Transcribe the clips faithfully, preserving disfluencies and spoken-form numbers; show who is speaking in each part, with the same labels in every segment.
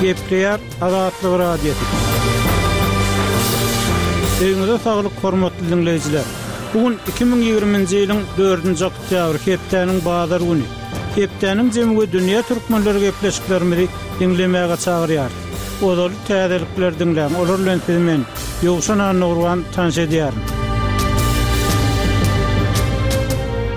Speaker 1: Gepleýär Azatlyk Radiosy. Öýüňize saglyk, hormatly diňleýjiler. Bu gün iki müň ýigriminji ýylyň dördünji oktýabry, hepdäniň bazar güni. Hepdäniň jemi we dünýä türkmenleri gepleşiklerimizi diňlemäge çagyrýarys. Ozaly täzelikleri diňläň, olar bilen sizi men, Ýowşan Annagurban tanyş edýärin.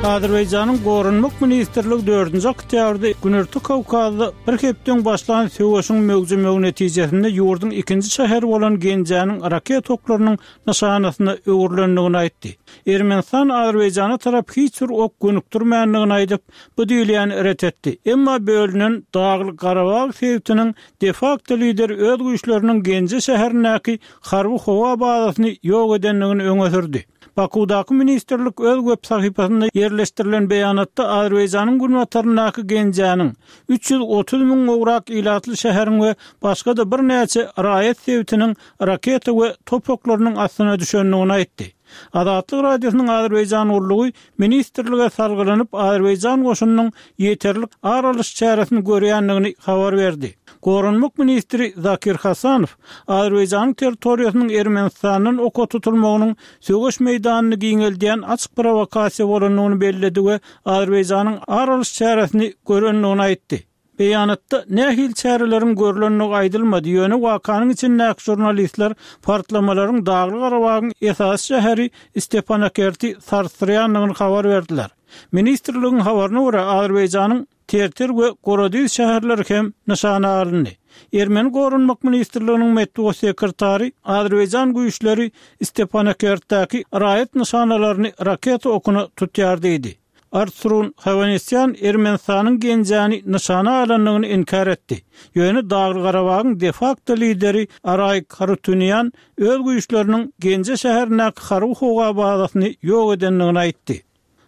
Speaker 1: Azerbaýjanyň Goranmak ministrligi dördünji oktýabrda Günorta Kawkazda bir hepde öň başlan söweşiň möwjemegi netijesinde ýurduň ikinji şäheri bolan Genjäniň raket oklarynyň nyşanasyna öwrülendigini aýtdy. Ermenistan Azerbaýjana tarap hiç bir ok gönükdirmändigini aýdyp, bu diýilýäni ret etdi. Emma bölünen Dagly-Garabag sebitiniň de-fakto lideri öz güýçleriniň Genje şäherindäki harby howa bazasyny ýok edendigini öňe sürdi. Bakuwdaky ministrlik öz web sahypasynda ýerleşdirilen beýanatda Azerbaýjanyň günbataryndaky Genjäniň, üç ýüz otuz müň gowrak ilatly şäheriň we başga-da birnäçe raýat sebitiniň raketa we top oklarynyň astyna düşendigini aýtdy. Azatlyk Radiosynyň Azerbaýjan gullugy ministrlige salgylanyp, Azerbaýjan goşunynyň ýeterlik ar alyş çäresini görýändigini habar berdi. Goranmak ministri Zakir Hasanow Azerbaýjanyň territoriýasynyň Ermenistandan oka tutulmagynyň söweş meýdanyny giňeldýän açyk prowokasiýa bolandygyny belledi we Azerbaýjanyň ar alyş çäresini görendigini aýtdy. Beýanatda nähili çäreleriň görlendigi aýdylmady, ýöne wakanyň içindäki žurnalistler partlamalaryň Dagly-Garabagyň esasy şäheri Stepanakerti sarsdyrýandygyny habar berdiler. Ministrligiň habaryna görä, Azerbaýjanyň Terter we Gorodiz şäherleri hem nyşana alyndy. Ermeni Goranmak ministrliginiň metbugat sekretary Azerbaýjan güýçleri Stepanakertdäki raýat nyşanalaryny raketa okuna tutýar diýdi. Artsrun Howanesýan Ermenistanyň Genjäni nyşana alandygyny inkär etdi. Ýöne Dagly-Garabagyň de-fakto lideri Araýik Harutunýan öz güýçleriniň Genje şäherindäki harby howa bazasyny ýok edendigini aýtdy.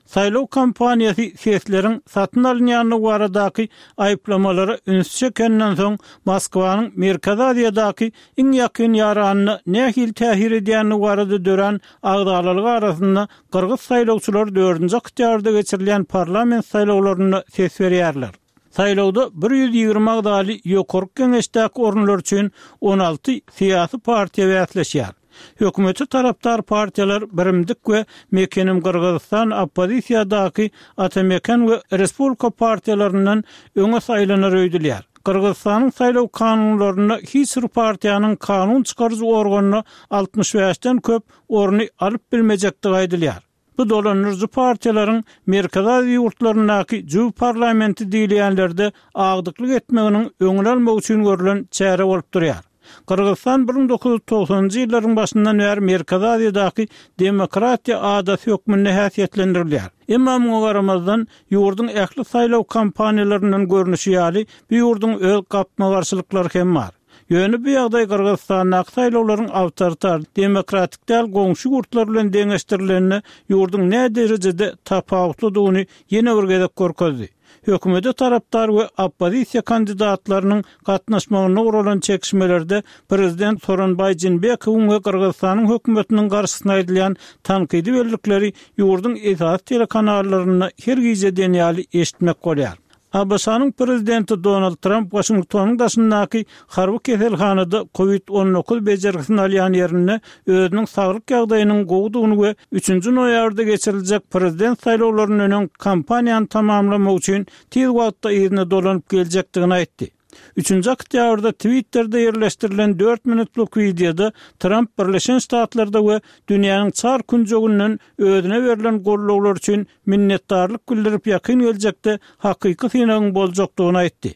Speaker 1: Saýlaw kampaniýasy sesleriň satyn alynýandygy baradaky aýyplamalara üns çekenden soň, Moskwanyň Merkezi Aziýadaky iň ýakyn ýaranyna nähili täsir edýändigi barada dörän agzalalyk arasynda gyrgyz saýlawçylary dördünji oktýabrda geçirilýän parlament saýlawlarynda ses berýärler. Saýlawda bir ýüz ýigrimi agzaly Ýokarky Geňeşdäki orunlar üçin on alty syýasy partiýa bäsleşýär. Hökümete tarapdar partiýalar Birimdik we Mekenim Gyrgyzystan oppozisiýadaky Ata-Meken we Respublika partiýalaryndan öňe saýlanar öýdülýär. Gyrgyzystanyň saýlaw kanunlarynda hiç bir partiýanyň kanun çykaryjy organyna altmyş bäşden köp orny alyp bilmejekdigi aýdylýar. Bu dolandyryjy partiýalaryň Merkezi Aziýa ýurtlaryndaky jübi parlamenti diýilýänlerde agdyklyk etmeginiň öňüni almak üçin görlen çäre bolup durýar. Gyrgyzystan bir müň dokuz ýüz togsanynjy ýyllaryň başyndan bäri Merkezi Aziýadaky demokratiýa adasy hökmünde häsiýetlendirilýär. Emma muňa garamazdan, ýurduň ähli saýlaw kampaniýalaryndan görnüşi ýaly, bu ýurduň öz gapma-garşylyklary hem bar. Ýöne bu ýagdaý Gyrgyzystandaky saýlawlaryň awtoritar, demokratik däl goňşy ýurtlar bilen deňeşdirilende ýurduň näderejede tapawutlydygyny ýene bir gezek görkezdi. Hökümete tarapdar we oppozisiýa kandidatlarynyň gatnaşmagynda guralan çekişmelerde prezident Sooronbaý Jeenbekowyň we Gyrgyzystanyň hökümetiniň garşysyna aýdylýan tankydy bellikleri ýurduň esasy telekanallarynda her gije diýen ýaly eşitmek bolýar. A B Ş-nyň prezidenti Donald Tramp Waşingtonyň daşyndaky harby keselhanada kowid on dokuz bejergisini alýan ýerinde özüniň saglyk ýagdaýynyň gowudygyny we üçünji noýabrda geçiriljek prezident saýlawlaryndan öň kampaniýany tamamlamak üçin tiz wagtda yzyna dolanyp geljekdigini aýtdy. Üçünji oktýabrda Twitterde ýerleşdirilen dört minutlyk wideoda Tramp Birleşen Ştatlarda we dünýäniň çar künjeginden özüne berlen gollawlar üçin minnetdarlyk bildirip ýakyn geljekde hakyky synagyň boljakdygyny aýtdy.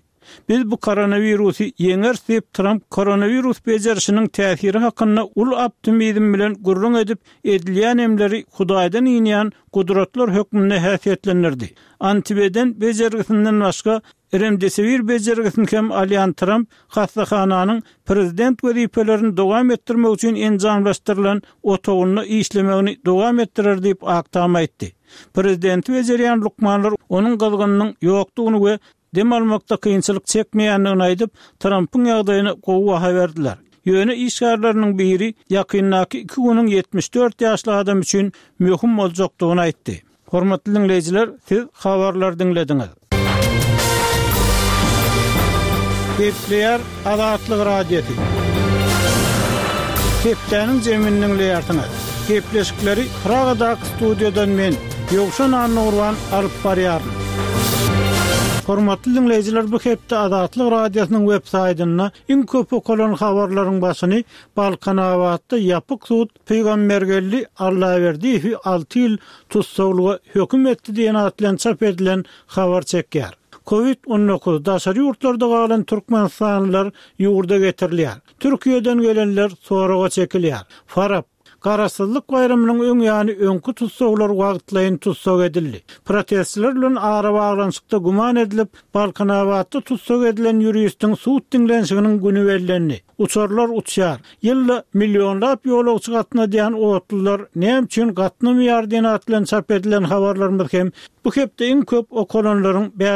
Speaker 1: Biz bu koronawirusy ýeňeris diýip Tramp koronawirus bejerişiniň täsiri hakynda uly optimizm bilen gürrüň edip, edilýän emleri Hudaýdan inýän gudratlar hökmünde häsiýetlendirdi. Antibeden bejergisinden başga Remdesivir bejergisini hem alýan Tramp hassahananyň prezident wezipelerini dowam etdirmek üçin enjamlaşdyrylan otagynda işlemegini dowam etdirer diýip Ak Tam aýtdy. Prezidenti bejerýän lukmanlar onuň gyzgynynyň ýokdugyny we dem almakda kynçylyk çekmeýändigini aýdyp, Trampyň ýagdaýyna gowy baha berdiler. Ýöne işgärleriniň biri ýakyndaky iki günüň ýetmiş dört ýaşly adam üçin möhüm boljakdygyny aýtdy. Hormatly diňleýjiler, siz habarlary diňlediňiz. Gepleýär Azatlyk Radiosy. Hepdäniň jemini diňleýärsiňiz. Gepleşikleri Pragadaky studiýadan men, Ýowşan Annagurban alyp barýaryn. Hormatly diňleýjiler, bu hepde Azatlyk Radiosynyň web saýtynda iň köp okalan habarlaryň başyny Balkanabatda ýapyk sud Pygambergeldi Allaberdiýewi alty ýyl tussaglyga höküm etdi diýen at bilen çap edilen habar çekýär. Covid on dokuz, daşary ýurtlarda galan türkmenistanlylar ýurda getirilýär. Türkiýeden gelenler soraga çekilýär. Farap, Garaşsyzlyk baýramynyň öň ýany öňki tussaglar wagtlaýyn tussag edildi. Protestçiler bilen arabaglanyşykda güman edilip, Balkanabatda tussag edilen ýuristiň sud diňlenişiginiň güni bellendi. Uçarlar uçýar. Ýylda millionlap ýolagçy gatnadýan otlular näme üçin gatnamaýar diýen at bilen çap edilen habarlarymyz hem bu hepde iň köp okalanlaryň bäş